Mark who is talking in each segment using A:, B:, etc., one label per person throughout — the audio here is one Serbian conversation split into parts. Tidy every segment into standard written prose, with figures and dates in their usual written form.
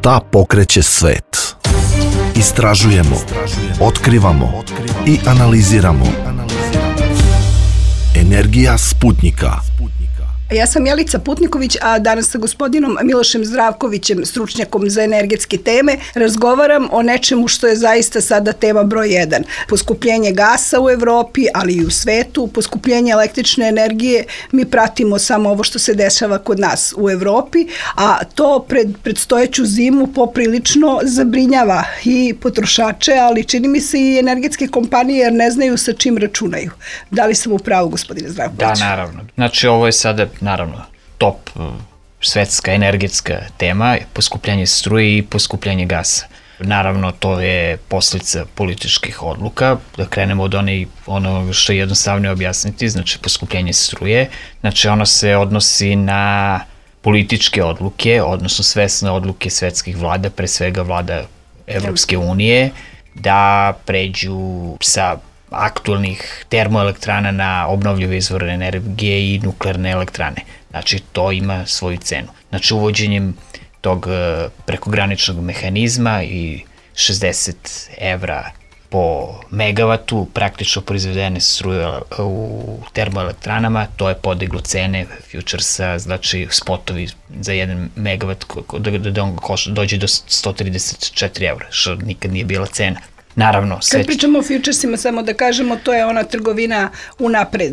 A: Šta pokreće svet? Istražujemo, otkrivamo i analiziramo. Energija Sputnika.
B: Ja sam Jelica Putniković, a danas sa gospodinom Milošem Zdravkovićem, stručnjakom za energetske teme, razgovaram o nečemu što je zaista sada tema broj 1. Poskupljenje gasa u Evropi, ali i u svetu, poskupljenje električne energije. Mi pratimo samo ovo što se dešava kod nas u Evropi, a to pred predstojeću zimu poprilično zabrinjava i potrošače, ali čini mi se i energetske kompanije, jer ne znaju sa čim računaju. Da li sam u pravu, gospodine Zdravković?
C: Da, naravno. Znači, ovo je sada naravno top svetska energetska tema, poskupljenje struje i poskupljenje gasa. Naravno, to je posljedica političkih odluka. Da krenemo od ono što je jednostavno objasniti, znači poskupljenje struje. Znači, ono se odnosi na političke odluke, odnosno svesne odluke svetskih vlada, pre svega vlada Evropske unije, da pređu sa aktualnih termoelektrana na obnovljive izvore energije i nuklearne elektrane. Znači, to ima svoju cenu. Znači, uvođenjem tog prekograničnog mehanizma i 60 evra po megavatu praktično proizvedene struje u termoelektranama, to je podiglo cene futuresa, znači spotovi za 1 megavat da on dođe do 134 evra, što nikad nije bila cena. Naravno,
B: kad pričamo o futuresima, samo da kažemo, to je ona trgovina unapred.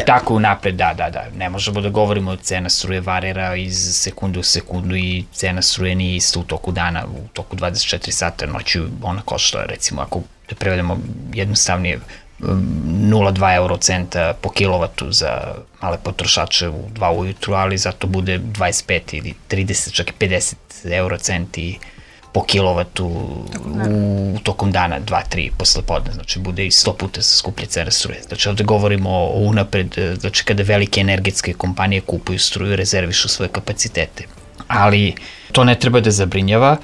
C: Tako unapred, da. Ne možemo da govorimo o cena struje varira iz sekundu u sekundu i cena struje nije isto u toku dana, u toku 24 sata noću ona košta, recimo, ako da prevedemo jednostavnije, 0,2 eurocenta po kilovatu za male potrošače u 2 ujutru, ali zato bude 25 ili 30, čak i 50 eurocenti po kilovatu u tokom dana, 2-3 posle podne, znači bude i 100 puta skuplje cena struje. Znači ovde govorimo o unapred, znači kada velike energetske kompanije kupuju struju, rezervišu svoje kapacitete. Ali to ne treba da zabrinjava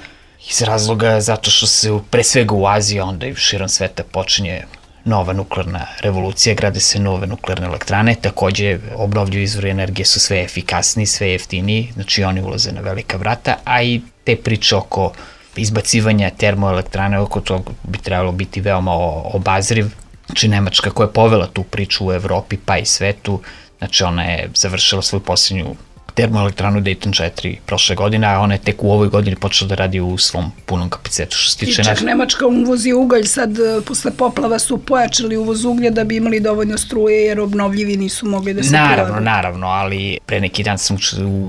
C: iz razloga zato što se pre svega u Aziji, onda i širom sveta počinje nova nuklearna revolucija, grade se nove nuklearne elektrane, takođe obnovljivi izvori energije su sve efikasniji, sve jeftiniji, znači oni ulaze na velika vrata, a i te priče oko izbacivanja termoelektrane, oko toga bi trebalo biti veoma obazriv. Znači, Nemačka koja je povela tu priču u Evropi pa i svetu, znači ona je završila svoju posljednju termoelektranu Dayton 4 prošle godine, a ona je tek u ovoj godini počela da radi u svom punom kapacitetu.
B: I čak Nemačka uvozi ugalj, sad posle poplava su pojačali uvoz uglja da bi imali dovoljno struje, jer obnovljivi nisu mogli da se prilagode.
C: Naravno, ali pre neki dan sam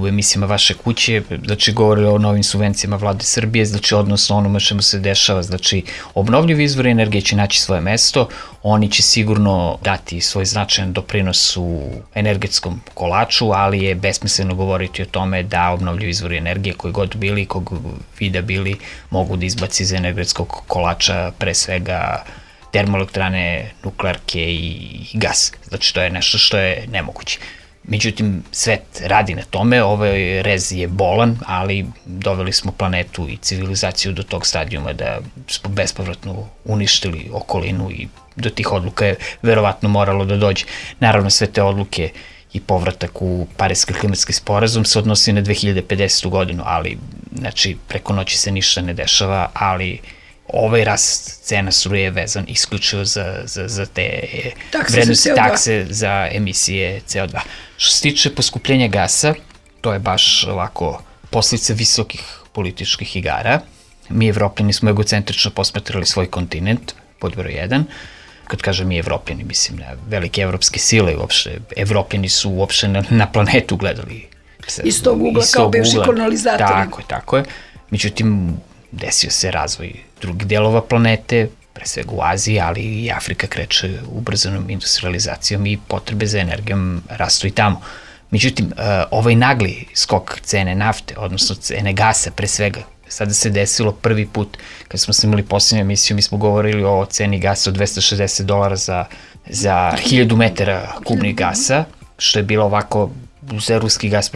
C: u emisijama Vaše kuće, znači govorili o novim subvencijama vlade Srbije, znači odnosno onome čemu se dešava, znači obnovljivi izvori energije će naći svoje mesto, oni će sigurno dati svoj značajan doprinos u energetskom kolaču, ali je besmisleno govoriti o tome da obnovljivi izvori energije koji god bili, kog vida bili, mogu da izbaci iz energetskog kolača pre svega termoelektrane, nuklearke i gas. Znači, to je nešto što je nemoguće. Međutim, svet radi na tome, ovaj rez je bolan, ali doveli smo planetu i civilizaciju do tog stadijuma da smo bespovratno uništili okolinu i do tih odluka je verovatno moralo da dođe. Naravno, sve te odluke i povratak u Pariski klimatski sporazum se odnosi na 2050. godinu, ali znači preko noći se ništa ne dešava, ali ovaj rast cena struje je vezan isključivo za te vrednosti takse za emisije CO2. Što se tiče poskupljenja gasa, to je baš ovako posljedica visokih političkih igara. Mi Evropljani smo egocentrično posmatrali svoj kontinent, pod broj 1. Kad kažem mi Evropljani, mislim na velike evropske sile, uopšte Evropljani su uopšte na planetu gledali.
B: Iz tog ugla kao bivši kolonizatori.
C: Tako je. Međutim, desio se razvoj drugih delova planete, pre svega u Aziji, ali i Afrika kreće ubrzanom industrializacijom i potrebe za energijom rastu i tamo. Međutim, ovaj nagli skok cene nafte, odnosno cene gasa pre svega, sada se desilo prvi put, kad smo snimali posljednju emisiju, mi smo govorili o ceni gasa od $260 za 1000 metara kubnih gasa, što je bilo ovako za ruski gas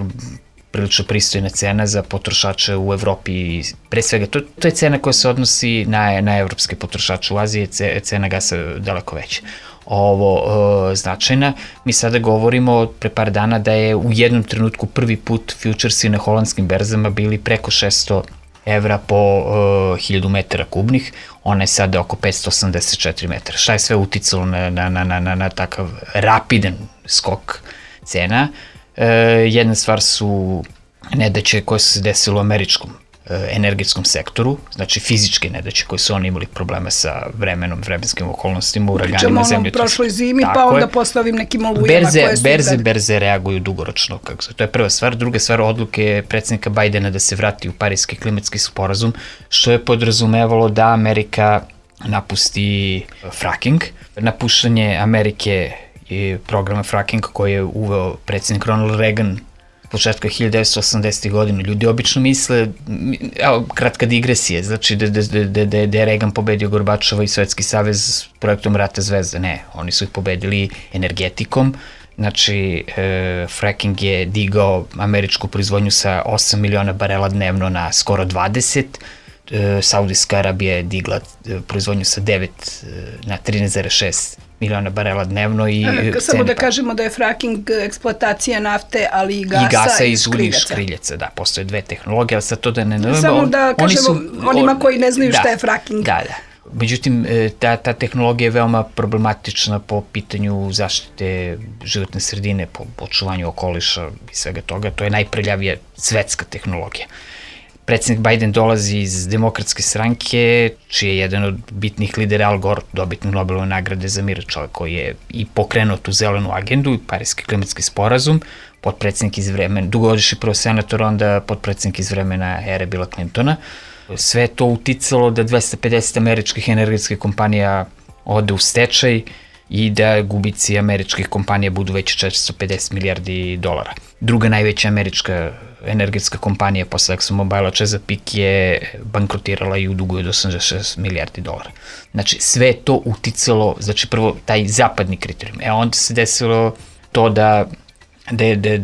C: prilično pristojna cena za potrošače u Evropi. Pre svega, to je cena koja se odnosi na evropske potrošače. U Aziji je cena gasa daleko veća. Ovo značajna. Mi sada govorimo pre par dana da je u jednom trenutku prvi put futuresi na holandskim berzama bili preko $600 evra po 1000 metara kubnih, ona je sada oko 584 metara. Šta je sve uticalo na takav rapidan skok cena? Jedna stvar su nedaće koje su se desile u američkom energetskom sektoru, znači fizičke nedaće koje su oni imali problema sa vremenom, vremenskim okolnostima, uraganima, zemlje.
B: Pričamo o prošloj zimi, pa onda posle ovim nekim olujama koje su...
C: Berze reaguju dugoročno. To je prva stvar. Druga stvar, odluke predsjednika Bajdena da se vrati u Pariski klimatski sporazum, što je podrazumevalo da Amerika napusti fracking. Napuštanje Amerike i programa frackinga koji je uveo predsjednik Ronald Reagan početka 1980. godina. Ljudi obično misle, kratka digresija, znači da je Reagan pobedio Gorbačova i Sovjetski savez s projektom Rata zvezda. Ne, oni su ih pobedili energetikom. Znači, fracking je digao američku proizvodnju sa 8 miliona barela dnevno na skoro 20. Saudijska Arabija je digla proizvodnju sa 9 na 13,6 miliona barela dnevno i
B: samo da kažemo da je fracking eksploatacija nafte, ali i gasa iz
C: škriljaca. Da, postoje dve tehnologije, ali sad to da ne...
B: Samo da kažemo onima koji ne znaju šta je fracking.
C: Da. Međutim, ta tehnologija je veoma problematična po pitanju zaštite životne sredine, po očuvanju okoliša i svega toga. To je najprljavija svetska tehnologija. Predsjednik Biden dolazi iz Demokratske stranke, čiji je jedan od bitnih lidera Al Gore, dobitnik Nobelove nagrade za mir, čovjek koji je i pokrenuo tu zelenu agendu, Pariski klimatski sporazum, potpredsjednik iz vremena, dugogodišnji prvo senator, onda potpredsjednik iz vremena ere Billa Clintona. Sve to uticalo da 250 američkih energetskih kompanija ode u stečaj i da gubici američkih kompanija budu veći 450 milijardi dolara. Druga najveća američka energetska kompanija posle ExxonMobile, Chesapeake, je bankrotirala i uduguje od 86 milijardi dolara. Znači, sve to uticalo, znači prvo taj zapadni kriterijum. Onda se desilo to da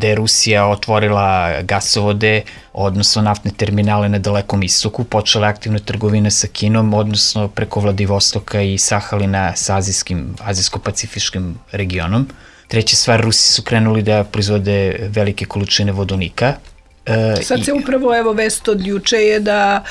C: je Rusija otvorila gasovode, odnosno naftne terminale na Dalekom istoku, počela aktivna trgovina sa Kinom, odnosno preko Vladivostoka i Sahalina sa azijsko-pacifičkim regionom. Treća stvar, Rusi su krenuli da proizvode velike količine vodonika.
B: Sad se upravo, vest od juče je da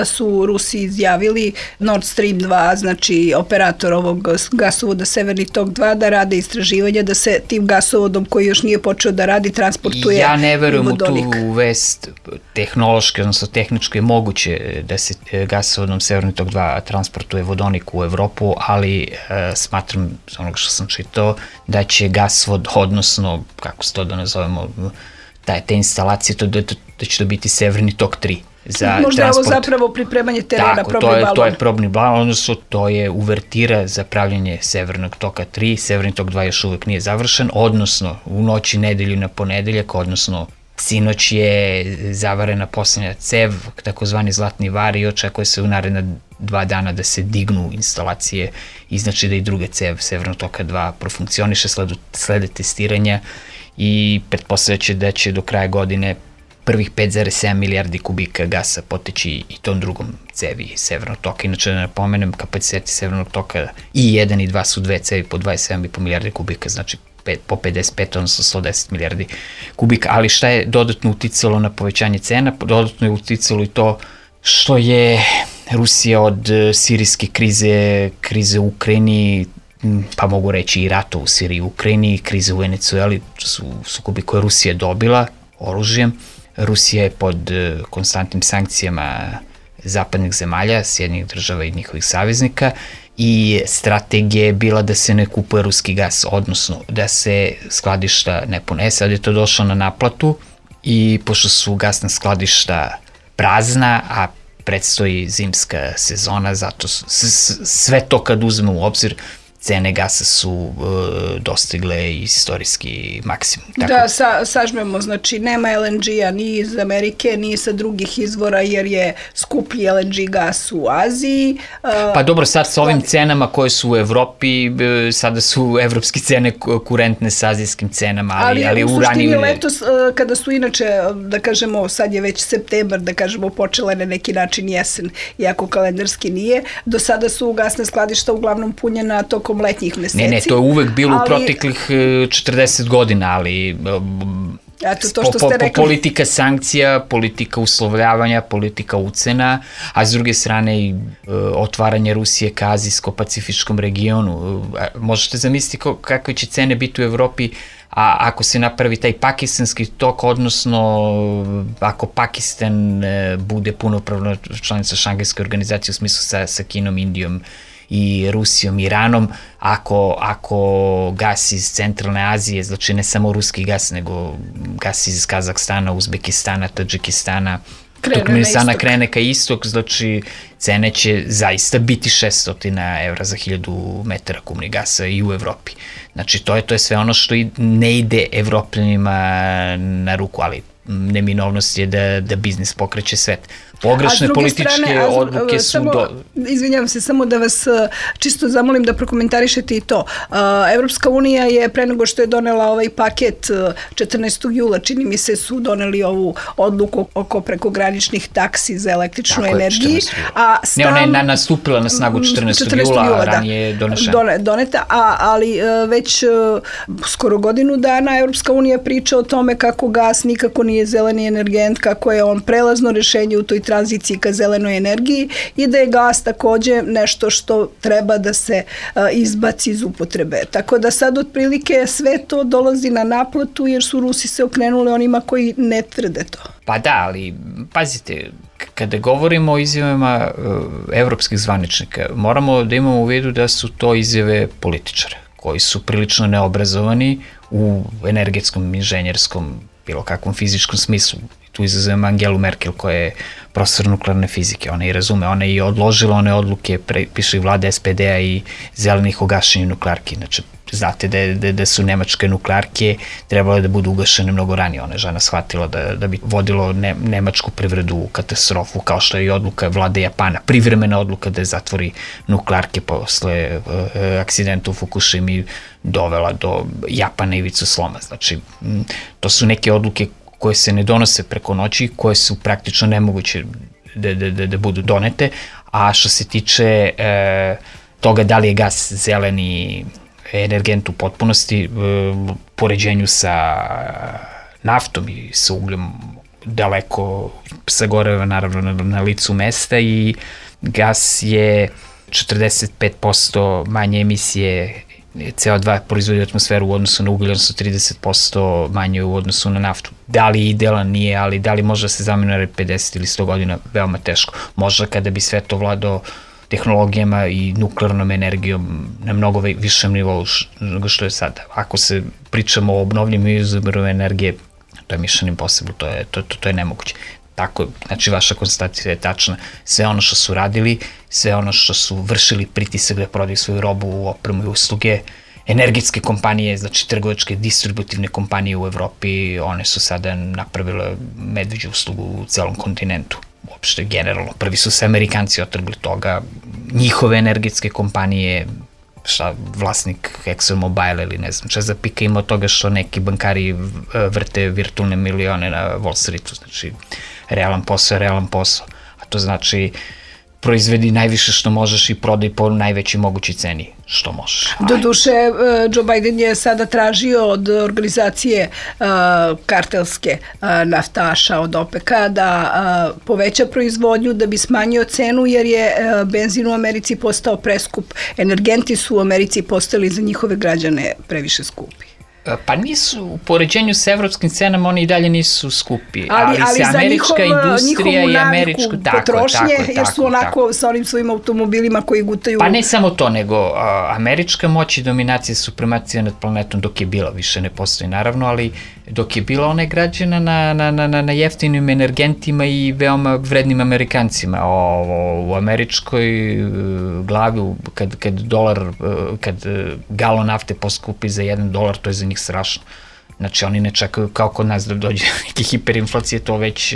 B: su Rusi izjavili Nord Stream 2, znači operator ovog gasovoda Severni tok 2, da rade istraživanja, da se tim gasovodom koji još nije počeo da radi transportuje vodonik.
C: Ja ne verujem u tu vest tehnološki, odnosno tehnički je moguće da se gasovodom Severni tok 2 transportuje vodonik u Evropu, ali smatram, z onoga što sam čitao, da će gasovod, odnosno, kako se to da nazovemo, te instalacije, da će to biti Severni tok 3.
B: Možda je ovo zapravo pripremanje terena, probni balon.
C: To je probni balon, odnosno to je uvertira za pravljanje Severnog toka 3. Severni tok 2 još uvek nije završen, odnosno u noći nedelju na ponedeljak, odnosno sinoć je zavarena poslednja cev, takozvani zlatni var, i očekuje se u naredna 2 dana da se dignu instalacije i znači da i druga cev Severnog toka 2 profunkcioniše, slede testiranja i pretpostavljaće da će do kraja godine prvih 5,7 milijardi kubika gasa poteći i tom drugom cevi Severnog toka. Inače, da napomenem, kapaciteti Severnog toka i 1 i 2 su dve cevi po 27,5 milijardi kubika, znači po 55, odnosno 110 milijardi kubika. Ali šta je dodatno uticalo na povećanje cena? Dodatno je uticalo i to što je Rusija od sirijske krize u Ukrajini, pa mogu reći i rata u Siriji i Ukrajini, krize u Venecueli, su sukobi koje Rusija dobila oružjem. Rusija je pod konstantnim sankcijama zapadnih zemalja, Sjedinjenih država i njihovih saveznika, i strategija je bila da se ne kupuje ruski gas, odnosno da se skladišta ne pune. Sad je to došlo na naplatu i pošto su gasna skladišta prazna, a predstoji zimska sezona, zato sve to kad uzmemo u obzir, cene gasa su dostigle istorijski maksimum.
B: Da, sažmemo, znači nema LNG-a ni iz Amerike, ni sa drugih izvora, jer je skuplji LNG gas u Aziji.
C: Pa dobro, sad sa ovim cenama koje su u Evropi, sada su evropske cene kurentne sa azijskim cenama, ali
B: u suštini letos, kada su inače, da kažemo, sad je već septembar, da kažemo, počela na neki način jesen, iako kalendarski nije, do sada su gasna skladišta uglavnom punjena tokom letnjih meseci.
C: Ne, to je uvek bilo u proteklih 40 godina, ali
B: Eto, to što ste rekli.
C: Politika sankcija, politika uslovljavanja, politika ucena, a s druge strane i otvaranje Rusije ka azijsko-pacifičkom regionu. Možete zamisliti kakve će cene biti u Evropi ako se napravi taj pakistanski tok, odnosno ako Pakistan bude punopravna članica Šangajske organizacije u smislu sa Kinom, Indijom i Rusijom, Iranom, ako gas iz Centralne Azije, znači ne samo ruski gas, nego gas iz Kazahstana, Uzbekistana, Tadžikistana, Turkmenistana krene ka istok, znači cene će zaista biti 600 evra za 1000 metara kubnih gasa i u Evropi. Znači to je sve ono što ne ide Evropljanima na ruku, ali neminovnost je da biznis pokreće svet. Pogrešne političke odluke su...
B: Izvinjavam se, samo da vas čisto zamolim da prokomentarišete i to. Evropska unija je pre nego što je donela ovaj paket 14. jula, čini mi se, su doneli ovu odluku oko prekograničnih taksi za električnu energiju.
C: Ne, ona je nastupila na snagu 14. jula, a ranije je
B: doneta, ali već skoro godinu dana Evropska unija priča o tome kako gas nikako nije zeleni energent, kako je on prelazno rešenje u toj tranziciji ka zelenoj energiji i da je gas takođe nešto što treba da se izbaci iz upotrebe. Tako da sad otprilike sve to dolazi na naplatu jer su Rusi se okrenuli onima koji ne tvrde to.
C: Pa da, ali pazite, kada govorimo o izjavama evropskih zvaničnika, moramo da imamo u vidu da su to izjave političara koji su prilično neobrazovani u energetskom, inženjerskom, bilo kakvom fizičkom smislu. Tu izazovem Angelu Merkel koja je profesor nuklearne fizike, ona i razume, ona je i odložila one odluke, piše i vlade SPD-a i zelenih o gašenju nuklearki. Znači, znate da su nemačke nuklearke trebale da budu ugašene mnogo ranije. Ona je žena shvatila da bi vodilo nemačku privredu u katastrofu, kao što je i odluka vlade Japana, privremena odluka da je zatvori nuklearke posle akcidenta u Fukushimi dovela do Japana ivicu sloma. Znači, to su neke odluke koje se ne donose preko noći, koje su praktično nemoguće da budu donete, a što se tiče toga da li je gas zeleni energent u potpunosti, poređenju sa naftom i sa ugljom daleko sagoreva naravno na licu mesta i gas je 45% manje emisije CO2 proizvodi u atmosferu u odnosu na ugalj, odnosno 30% manje u odnosu na naftu. Da li je idealan, nije, ali da li može da se zameni 50 ili 100 godina, veoma teško. Možda kada bi sve to vladao tehnologijama i nuklearnom energijom na mnogo višem nivou nego što je sada. Ako se pričamo o obnovljivim izvorima energije, to je mission impossible, to je nemoguće. Tako, znači vaša konstatacija je tačna. Sve ono što su radili, sve ono što su vršili pritisak da prodaju svoju robu, opremu i usluge, energetske kompanije, znači trgovačke, distributivne kompanije u Evropi, one su sada napravile medveđu uslugu u celom kontinentu. Uopšte, generalno, prvi su se Amerikanci otrgli toga, njihove energetske kompanije, vlasnik ExxonMobil ili ne znam Chesapeake ima od toga što neki bankari vrte virtualne milione na Wall Streetu, znači realan posao, a to znači proizvedi najviše što možeš i prodaj po najvećoj mogućoj ceni što možeš.
B: Doduše, Joe Biden je sada tražio od organizacije kartelske naftaša od OPEC-a da poveća proizvodnju, da bi smanjio cenu, jer je benzin u Americi postao preskup. Energenti su u Americi postali za njihove građane previše skupi.
C: Pa nisu, u poređenju sa evropskim cenama oni i dalje nisu skupi, ali se američka industrija i američko
B: potrošnje, jer su onako sa onim svojim automobilima koji gutaju...
C: Pa ne samo to, nego američka moć i dominacija, supremacija nad planetom dok je bila, više ne postoji naravno, ali dok je bila ona je građena na jeftinim energentima i veoma vrednim Amerikancima. U američkoj glavi, kad galon nafte poskupi za $1, to je za njih strašno. Znači, oni ne čekaju kao kod nas da dođe neke hiperinflacije, to već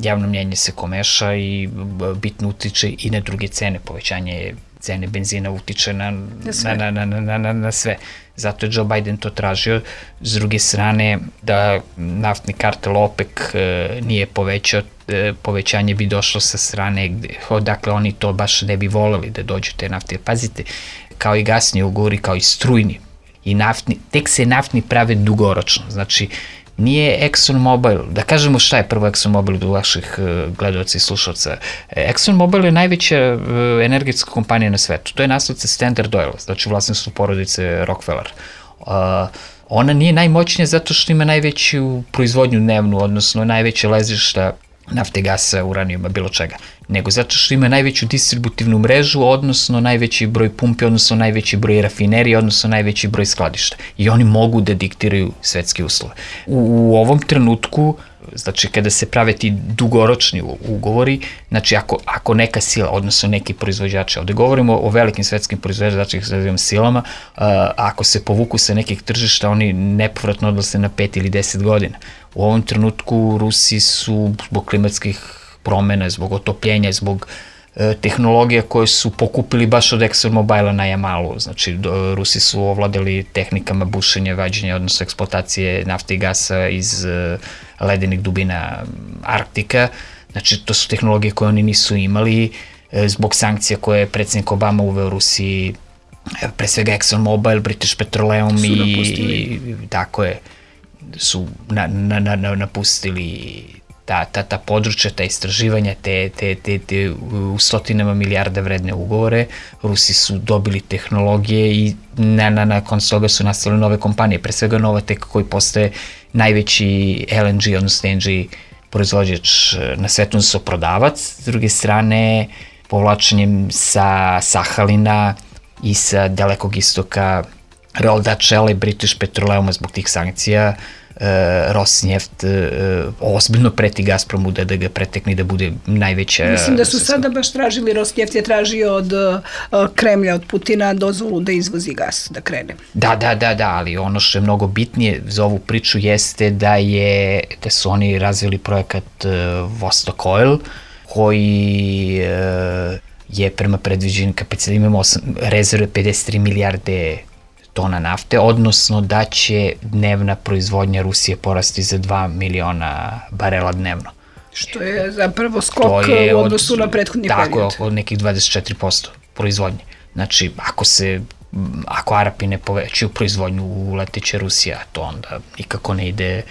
C: javno mnjenje se komeša i bitno utiče i na druge cene. Povećanje cene benzina utiče na sve. Zato je Joe Biden to tražio. S druge strane, da naftni kartel OPEC nije povećao, povećanje bi došlo sa strane odakle oni to baš ne bi voleli da dođu te nafte. Pazite, kao i gasni ugovori, kao i strujni, I tek se naftni prave dugoročno. Znači, nije ExxonMobil, da kažemo šta je prvo ExxonMobil do vaših gledalaca i slušalca. ExxonMobil je najveća energetska kompanija na svetu. To je nasledce Standard Oil, znači vlasništvo porodice Rockefeller. Ona nije najmoćnija zato što ima najveću proizvodnju dnevnu, odnosno najveće ležišta nafte, gasa, uranijuma, bilo čega, nego zato što ima najveću distributivnu mrežu, odnosno najveći broj pumpi, odnosno najveći broj rafinerija, odnosno najveći broj skladišta. I oni mogu da diktiraju svetske uslove. U ovom trenutku, znači kada se prave ti dugoročni ugovori, znači ako neka sila, odnosno neki proizvođači, ovde govorimo o velikim svetskim proizvođačima, znači silama, ako se povuku sa nekih tržišta, oni nepovratno odlaze na 5 ili 10 godina. U ovom trenutku Rusi su zbog klimatskih promena, zbog otopljenja, zbog tehnologija koje su pokupili baš od ExxonMobila na Jamalu. Znači, Rusi su ovladali tehnikama bušenja, vađenja, odnosno eksploatacije nafte i gasa iz ledenih dubina Arktika. Znači, to su tehnologije koje oni nisu imali zbog sankcija koje je predsjednik Obama uveo Rusiji, pre svega ExxonMobil, British Petroleum i tako je, su napustili ta područja, ta istraživanja, te u stotinama milijarda vredne ugovore. Rusi su dobili tehnologije i nakon toga su nastale nove kompanije, pre svega Novatek koji postaje najveći LNG, odnosno LNG proizvođač na svetu, odnosno prodavac. S druge strane, povlačenjem sa Sahalina i sa Dalekog istoka Royal Dutch Shell i British Petroleum zbog tih sankcija, Rosneft ozbiljno preti Gazpromu da ga pretekne, da bude najveća...
B: Mislim da su sada baš tražili, Rosneft je tražio od Kremlja, od Putina dozvolu da izvozi gas, da krene.
C: Da, ali ono što je mnogo bitnije za ovu priču jeste da su oni razvili projekat Vostok Oil, koji je prema predviđenim kapacitetima, imamo rezerve 53 milijarde tona nafte, odnosno da će dnevna proizvodnja Rusije porasti za 2 miliona barela dnevno.
B: Što je zapravo skok u odnosu na prethodni period.
C: Tako, od nekih 24% proizvodnje. Znači, ako Arapi ne povećaju proizvodnju, uleteće Rusija, to onda nikako ne ide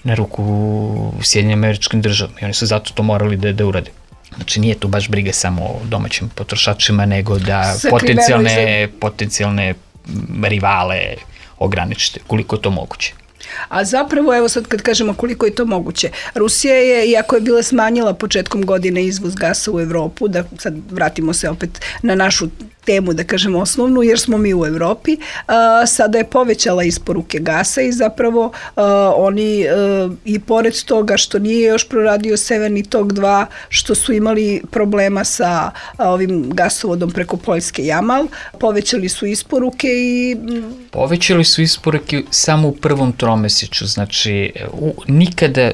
C: na ruku Sjedinjenim Američkim Državama i oni su zato to morali da urade. Znači, nije tu baš briga samo o domaćim potrošačima, nego da potencijalne rivale ograničite, koliko je to moguće.
B: A zapravo, evo sad kad kažemo koliko je to moguće, Rusija je, iako je bila smanjila početkom godine izvoz gasa u Evropu, da sad vratimo se opet na našu temu, da kažemo osnovnu, jer smo mi u Evropi, sada je povećala isporuke gasa i zapravo oni i pored toga što nije još proradio Severni tok 2, što su imali problema sa ovim gasovodom preko Poljske Jamal, povećali su isporuke i...
C: Povećali su isporuke samo u prvom tromesečju, znači nikada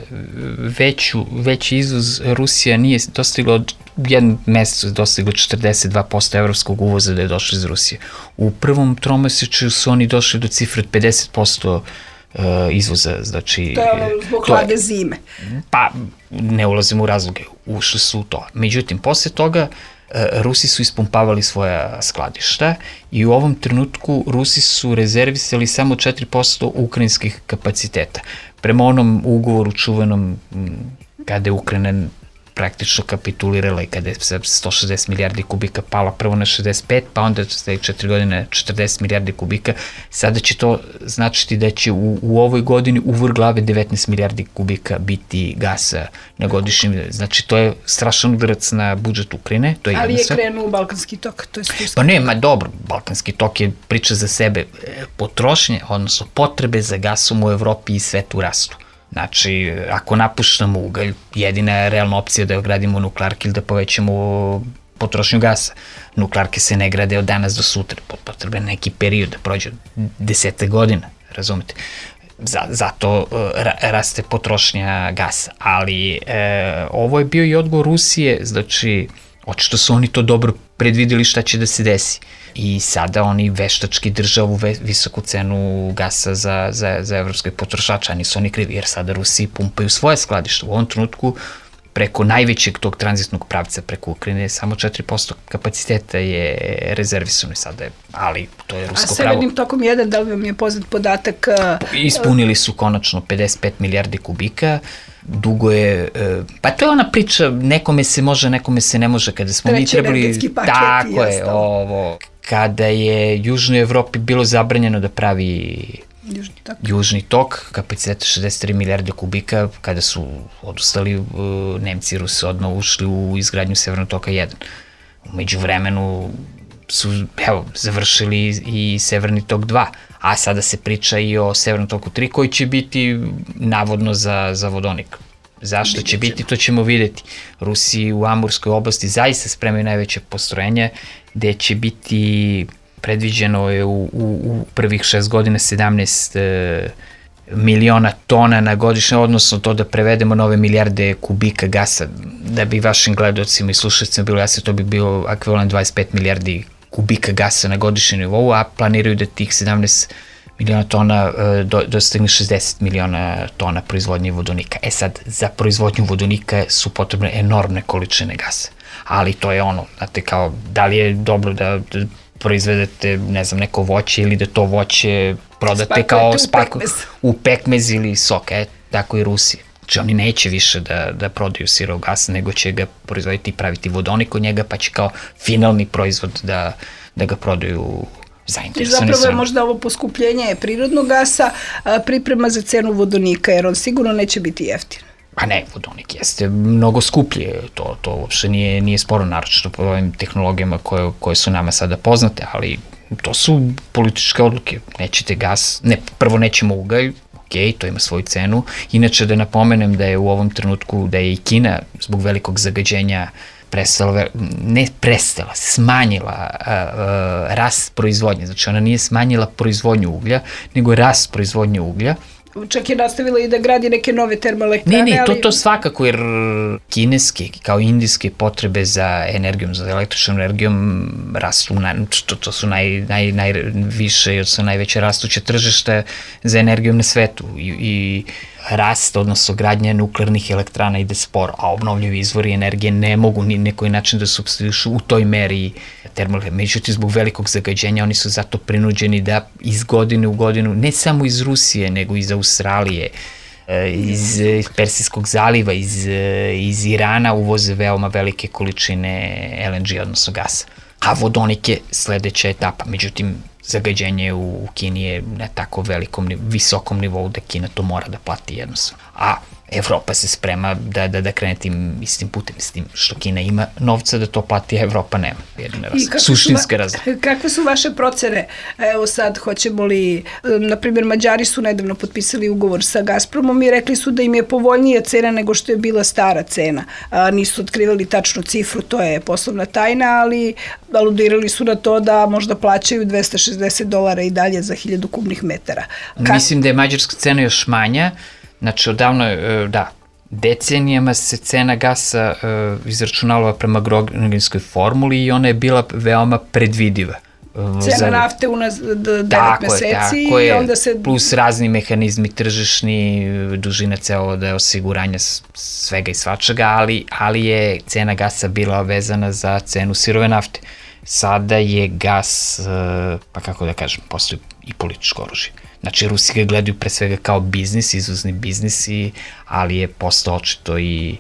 C: veći izvoz Rusija nije dostigla od jednom mesecu dostiglo 42% evropskog uvoza da je došlo iz Rusije. U prvom tromesečju su oni došli do cifre od 50% izvoza, znači...
B: To je ono zbog hlade zime.
C: Pa, ne ulazimo u razloge, ušli su u to. Međutim, posle toga Rusi su ispumpavali svoja skladišta i u ovom trenutku Rusi su rezervisali samo 4% ukrajinskih kapaciteta. Prema onom ugovoru čuvenom kada je Ukrajina praktično kapitulirala i kada je 160 milijardi kubika pala prvo na 65, pa onda ste 4 godine 40 milijardi kubika, sada će to značiti da će u ovoj godini u vrh glave 19 milijardi kubika biti gasa na godišnjem, znači to je strašan udarac na budžet Ukrajine. To je
B: ali je krenuo Balkanski tok, to je stisno.
C: Pa ne, dobro, Balkanski tok je priča za sebe, potrošnje, odnosno potrebe za gasom u Evropi i svetu rastu. Znači, ako napuštamo ugalj, jedina realna opcija da gradimo nuklearke ili da povećamo potrošnju gasa. Nuklearke se ne grade od danas do sutra, potreban neki period da prođe 10 godina, razumete? Zato raste potrošnja gasa, ali ovo je bio i odgovor Rusije, znači, očito su oni to dobro predvideli šta će da se desi. I sada oni veštački drže ovu visoku cenu gasa za evropske potrošače, a nisu oni krivi, jer sada Rusi pumpaju svoje skladište. U ovom trenutku preko najvećeg tog tranzitnog pravca preko Ukrajine, samo 4% kapaciteta je rezervisano sada, ali to je rusko pravo.
B: A Severnim tokom 1, da li vam je poznat podatak?
C: Ispunili su konačno 55 milijardi kubika, dugo je, pa to je ona priča, nekome se može, nekome se ne može, kada smo mi trebali, tako je, ovo, kada je Južnoj Evropi bilo zabranjeno da pravi Južni tok, kapaciteta 63 milijarde kubika, kada su odustali, Nemci i Rusi odmah ušli u izgradnju Severnog toka 1. Umeđu vremenu su, završili i Severni tok 2, a sada se priča i o Severnom toku 3, koji će biti navodno za vodonik. Zašto će biti, to ćemo videti. Rusi u Amurskoj oblasti zaista spremaju najveće postrojenje, gde će biti predviđeno je u prvih 6 godina 17 miliona tona na godišnje, odnosno to da prevedemo nove milijarde kubika gasa, da bi vašim gledocima i slušacima bilo jasno, to bi bio ekvivalent 25 milijardi kubika gasa na godišnjem nivou, a planiraju da tih 17 miliona tona dostigne 60 miliona tona proizvodnje vodonika. Sad, za proizvodnju vodonika su potrebne enormne količine gasa, ali to je ono, znate, kao, da li je dobro da proizvedete, ne znam, neko voće ili da to voće prodate kao u pekmez ili sok, tako i Rusi. Znači oni neće više da prodaju sirov gas, nego će ga proizvoditi i praviti vodonik od njega, pa će kao finalni proizvod da ga prodaju zainteresovani.
B: Zapravo je možda ovo poskupljenje prirodnog gasa priprema za cenu vodonika, jer on sigurno neće biti jeftin.
C: Pa ne, vodonik jeste mnogo skuplje, to uopšte nije sporo, naročito po ovim tehnologijama koje su nama sada poznate, ali to su političke odluke. Nećete gas, prvo nećemo ugalj, to ima svoju cenu. Inače da napomenem da je u ovom trenutku, da je i Kina zbog velikog zagađenja smanjila rast proizvodnje. Znači ona nije smanjila proizvodnju uglja, nego rast proizvodnje uglja.
B: Čak je nastavila i da gradi neke nove termoelektrane.
C: Ne, to svakako, jer kineske kao indijske potrebe za energijom, za električnom energijom rastu, to su najviše, odnosno najveće rastuće tržište za energijom na svetu i rast, odnosno gradnja nuklearnih elektrana ide sporo, a obnovljivi izvori energije ne mogu ni na koji način da supstituišu u toj meri termoelektrane. Međutim, zbog velikog zagađenja oni su zato prinuđeni da iz godine u godinu, ne samo iz Rusije, nego iz Australije, iz Persijskog zaliva, iz Irana uvoze veoma velike količine LNG, odnosno gasa. A vodonik je sledeća etapa. Međutim, zagađenje u Kini je na tako visokom nivou da Kina to mora da plati jednostavno. A Evropa se sprema da krene tim istim putem, s tim što Kina ima novca da to plati, a Evropa nema. Suštinske razlike.
B: Kakve su vaše procene? Evo sad, hoćemo li, na primjer, Mađari su nedavno potpisali ugovor sa Gazpromom i rekli su da im je povoljnija cena nego što je bila stara cena. Nisu otkrivali tačnu cifru, to je poslovna tajna, ali aludirali su na to da možda plaćaju $260 i dalje za 1000 kubnih metara.
C: Mislim da je mađarska cena još manja. Znači, odavno, decenijama se cena gasa izračunala prema Groningenskoj formuli i ona je bila veoma predvidiva.
B: Cena nafte u 9 meseci i onda se...
C: Plus razni mehanizmi tržišni, dužina cevovoda, osiguranja svega i svačega, ali je cena gasa bila vezana za cenu sirove nafte. Sada je gas, pa kako da kažem, postoji i političko oružje. Znači, Rusi ga gledaju pre svega kao biznis, izvozni biznis, ali je postao očito i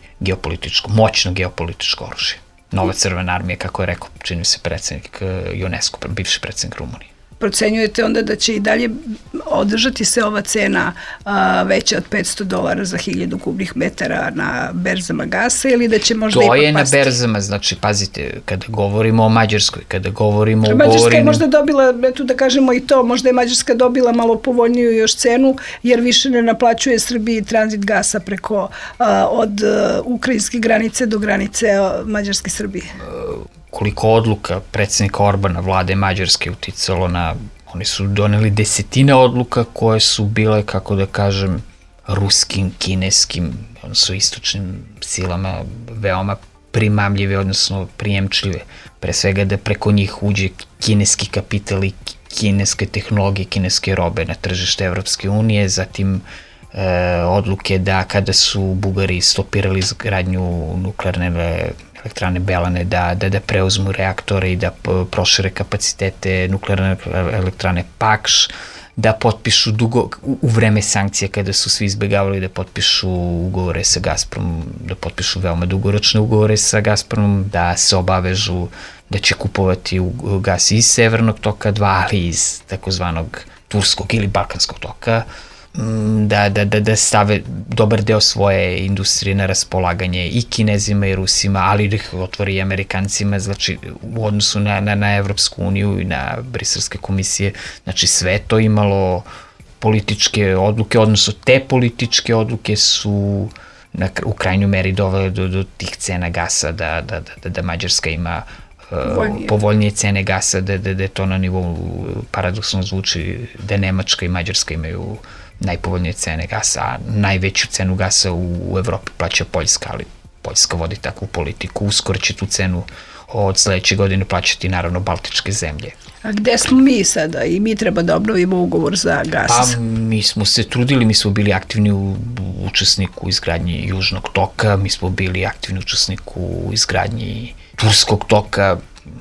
C: moćno geopolitičko oružje. Nova crvena armija, kako je rekao, čini se predsednik UNESCO, bivši predsednik Rumunije.
B: Procenjujete onda da će i dalje održati se ova cena veća od $500 za 1000 kubnih metara na berzama gasa ili da će možda i
C: potpasti?
B: To je
C: na berzama, znači pazite, kada govorimo o Mađarskoj, kada govorimo o
B: Mađarska je možda dobila, eto da kažemo i to, možda je Mađarska dobila malo povoljniju još cenu jer više ne naplaćuje Srbiji tranzit gasa preko od ukrajinske granice do granice Mađarske Srbije.
C: Koliko odluka predsednika Orbana, vlade Mađarske, uticalo oni su doneli desetine odluka koje su bile, kako da kažem, ruskim, kineskim, odnosno istočnim silama veoma primamljive, odnosno prijemčljive. Pre svega da preko njih uđe kineski kapital i kineske tehnologije, kineske robe na tržište Evropske unije, zatim odluke da kada su Bugari stopirali izgradnju nuklearne elektrane Belane, da preuzmu reaktore i da prošire kapacitete nuklearne elektrane Pakš, da potpišu u vreme sankcije kada su svi izbegavali da potpišu ugovore sa Gazpromom, da potpišu veoma dugoročne ugovore sa Gazpromom, da se obavežu da će kupovati gas iz Severnog toka 2, ali iz takozvanog Turskog ili Balkanskog toka, da stave dobar deo svoje industrije na raspolaganje i Kinezima i Rusima, ali da ih otvori i Amerikancima, znači u odnosu na Evropsku uniju i na Briselske komisije, znači sve to imalo političke odluke, odnosno te političke odluke su u krajnjoj meri dovele do tih cena gasa, da Mađarska ima povoljnije cene gasa, da je to na nivou, paradoksalno zvuči, da Nemačka i Mađarska imaju najpovoljnije cene gasa, a najveću cenu gasa u Evropi plaća Poljska, ali Poljska vodi takvu politiku. Uskoro će tu cenu od sledeće godine plaćati naravno Baltičke zemlje.
B: A gde smo mi sada i mi treba da obnovimo ugovor za gas?
C: Pa mi smo se trudili, mi smo bili aktivni učesnik u izgradnji Južnog toka, mi smo bili aktivni učesnik u izgradnji Turskog toka,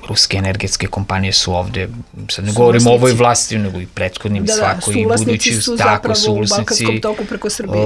C: ruske energetske kompanije su ovde, sad ne govorimo o ovoj vlasti, nego i prethodnim svako i budući,
B: tako su u Balkanskom toku preko Srbije.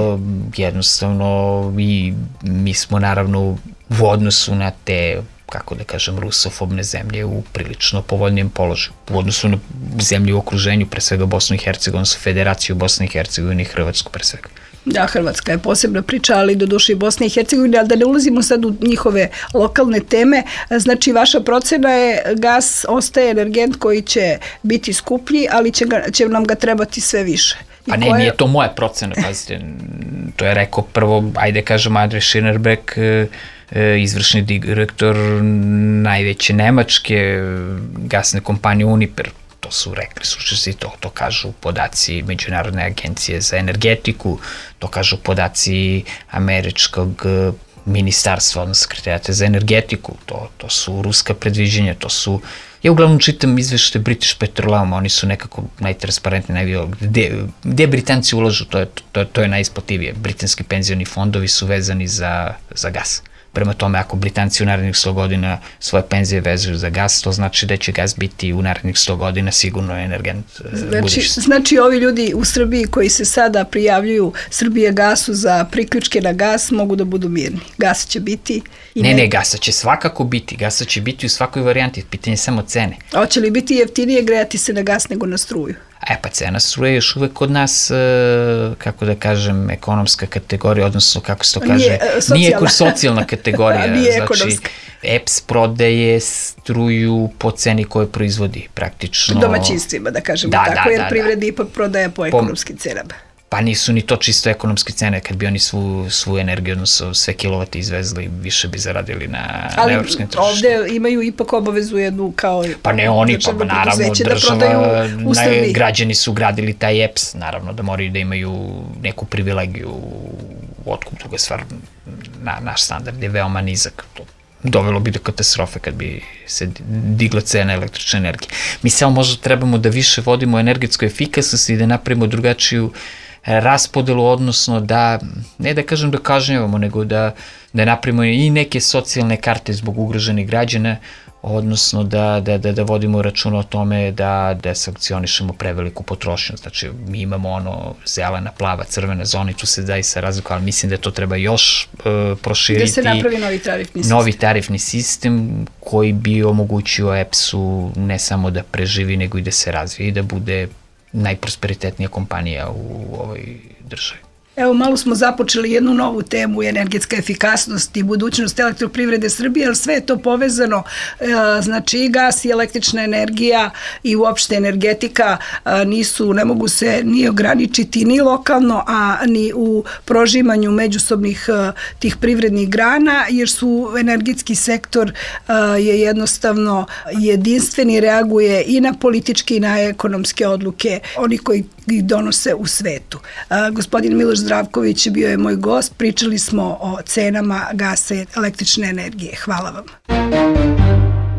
C: Jednostavno i mi smo naravno u odnosu na te, kako da kažem, rusofobne zemlje u prilično povoljnijem položaju. U odnosu na zemlje u okruženju, pre svega Bosnu i Hercegovinu, Federaciju Bosne i Hercegovine i Hrvatsku pre svega.
B: Da, Hrvatska je posebna priča, ali do duše i Bosne i Hercegovine, ali da ne ulazimo sad u njihove lokalne teme. Znači, vaša procena je gas ostaje energent koji će biti skuplji, ali će nam ga trebati sve više.
C: Pa ne, nije to moja procena, pazite, to je rekao prvo, ajde kažem, Andrej Schirnerbeck, izvršni direktor najveće nemačke gasne kompanije Uniper. To su rekli slučajci, to kažu podaci Međunarodne agencije za energetiku, to kažu podaci američkog ministarstva, odnosno sekretarijata za energetiku, to su ruska predviđenja, to su... Ja uglavnom čitam izveštaje British Petroleum, oni su nekako najtransparentni, gde Britanci ulažu, to je najisplativije. Britanski penzioni fondovi su vezani za gas. Prema tome, ako Britanci u narednih 100 godina svoje penzije vezuju za gas, to znači da će gas biti u narednih 100 godina sigurno energent budućnosti.
B: Znači, ovi ljudi u Srbiji koji se sada prijavljuju Srbije gasu za priključke na gas mogu da budu mirni. Gas će biti...
C: Ne, gasa će svakako biti. Gasa će biti u svakoj varijanti. Pitanje je samo cene.
B: A hoće li biti jeftinije grejati se na gas nego na struju?
C: Pa cena struje je još uvek kod nas, kako da kažem, ekonomska kategorija, odnosno kako se to kaže, nije socijalna kategorija.
B: Nije
C: znači, EPS prodaje struju po ceni koju proizvodi praktično.
B: Domaćinstvima, da kažemo tako, jer privreda ipak prodaje po ekonomskim cenama.
C: Pa nisu ni to čisto ekonomske cene, kad bi oni svu energiju, odnosno sve kilovate izvezli, više bi zaradili na evropskim tržištu.
B: Ali ovde imaju ipak obavezu jednu kao...
C: Pa ne oni, pa naravno država, građani su gradili taj EPS, naravno da moraju da imaju neku privilegiju u otkup, druga stvar, naš standard je veoma nizak, dovelo bi do katastrofe kad bi se digla cena električne energije. Mi samo možda trebamo da više vodimo energetsku efikasnost i da napravimo drugačiju raspodelu, odnosno da, ne da kažem da kažnjavamo, nego da napravimo i neke socijalne karte zbog ugroženih građana, odnosno da vodimo računa o tome da sankcionišemo preveliku potrošnju. Znači, mi imamo zelena, plava, crvena zona i tu se zaista razlikuje, ali mislim da to treba još proširiti.
B: Da se napravi novi tarifni sistem.
C: Novi tarifni sistem koji bi omogućio EPS-u ne samo da preživi, nego i da se razvije i da bude najprosperitetnija kompanija u ovoj državi.
B: Evo, malo smo započeli jednu novu temu, energetska efikasnost i budućnost elektroprivrede Srbije, ali sve je to povezano, znači i gas i električna energija i uopšte energetika ne mogu se ni ograničiti ni lokalno, a ni u prožimanju međusobnih tih privrednih grana, jer su energetski sektor je jednostavno jedinstveni, reaguje i na političke i na ekonomske odluke, oni koji ih donose u svetu. Gospodin Miloš Zdravković bio je moj gost, pričali smo o cenama gasa i električne energije. Hvala vam.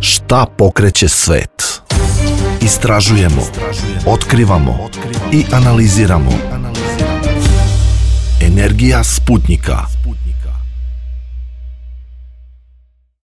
A: Šta pokreće svet? Istražujemo, otkrivamo i analiziramo. Energija Sputnika.